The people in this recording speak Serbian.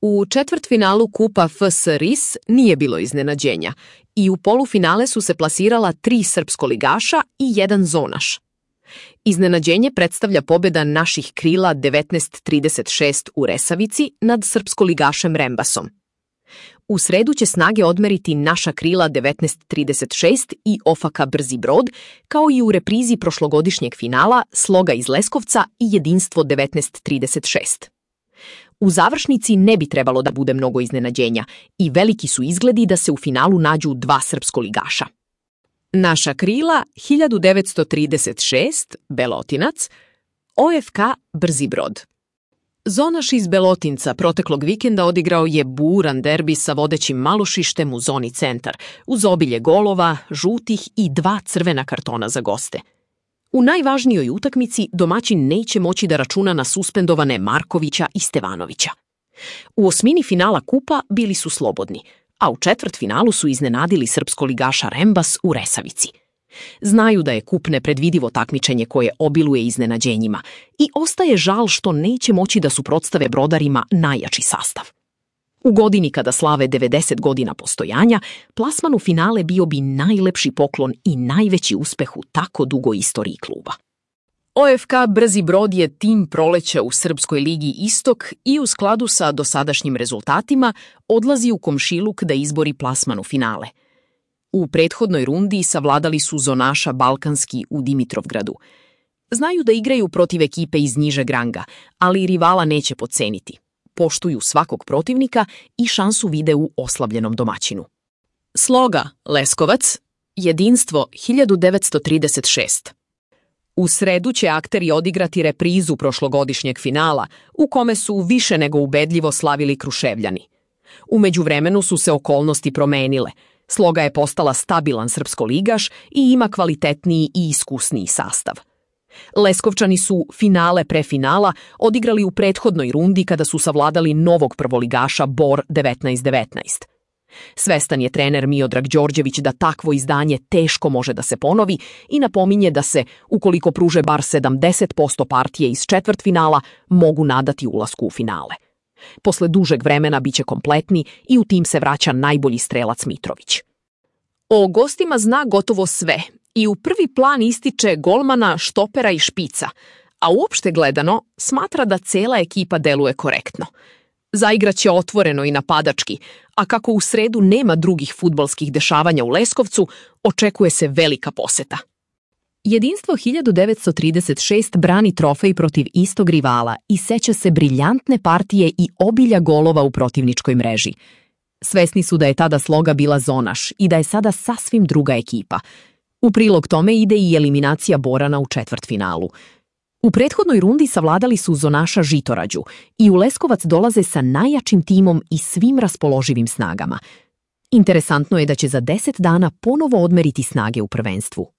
U četvrtfinalu Kupa FS RIS nije bilo iznenađenja i u polufinale su se plasirala 3 srpskoligaša i 1 zonaš. Iznenađenje predstavlja pobjeda naših krila 19:36 u Resavici nad srpskoligašem Rembasom. U sredu će snage odmeriti naša krila 19:36 i OFK Brzi Brod, kao i u reprizi prošlogodišnjeg finala Sloga iz Leskovca i Jedinstvo 19:36. U završnici ne bi trebalo da bude mnogo iznenađenja i veliki su izgledi da se u finalu nađu 2 srpskoligaša. Naša krila 1936 Belotinac, OFK Brzi Brod. Zonaš iz Belotinca proteklog vikenda odigrao je buran derbi sa vodećim Malošištem u zoni centar, uz obilje golova, žutih i 2 crvena kartona za goste. U najvažnijoj utakmici domaćin neće moći da računa na suspendovane Markovića i Stevanovića. U osmini finala Kupa bili su slobodni, a u četvrtfinalu su iznenadili srpskoligaša Rembas u Resavici. Znaju da je Kup nepredvidivo takmičenje koje obiluje iznenađenjima i ostaje žal što neće moći da suprotstave Brodarima najjači sastav. U godini kada slave 90 godina postojanja, plasman u finale bio bi najlepši poklon i najveći uspeh u tako dugoj istoriji kluba. OFK Brzi Brod je tim proleća u Srpskoj ligi Istok i u skladu sa dosadašnjim rezultatima odlazi u komšiluk da izbori plasman u finale. U prethodnoj rundi savladali su zonaša Balkanski u Dimitrovgradu. Znaju da igraju protiv ekipe iz nižeg ranga, ali rivala neće podceniti. Poštuju svakog protivnika i šansu vide u oslabljenom domaćinu. Sloga, Leskovac, Jedinstvo 1936. U sredu će akteri odigrati reprizu prošlogodišnjeg finala, u kome su više nego ubedljivo slavili Kruševljani. U međuvremenu su se okolnosti promenile. Sloga je postala stabilan srpskoligaš i ima kvalitetniji i iskusniji sastav. Leskovčani su finale pre finala odigrali u prethodnoj rundi kada su savladali novog prvoligaša Bor 19:19. Svestan je trener Miodrag Đorđević da takvo izdanje teško može da se ponovi i napominje da se, ukoliko pruže bar 70% partije iz četvrtfinala, mogu nadati ulasku u finale. Posle dužeg vremena biće kompletni i u tim se vraća najbolji strelac Mitrović. O gostima zna gotovo sve i u prvi plan ističe golmana, štopera i špica, a uopšte gledano smatra da cela ekipa deluje korektno. Zaigraće otvoreno i napadački, a kako u sredu nema drugih fudbalskih dešavanja u Leskovcu, očekuje se velika poseta. Jedinstvo 1936 brani trofej protiv istog rivala i seća se briljantne partije i obilja golova u protivničkoj mreži. Svesni su da je tada Sloga bila zonaš i da je sada sasvim druga ekipa. U prilog tome ide i eliminacija Borana u četvrtfinalu. U prethodnoj rundi savladali su zonaša Žitorađu i u Leskovac dolaze sa najjačim timom i svim raspoloživim snagama. Interesantno je da će za 10 dana ponovo odmeriti snage u prvenstvu.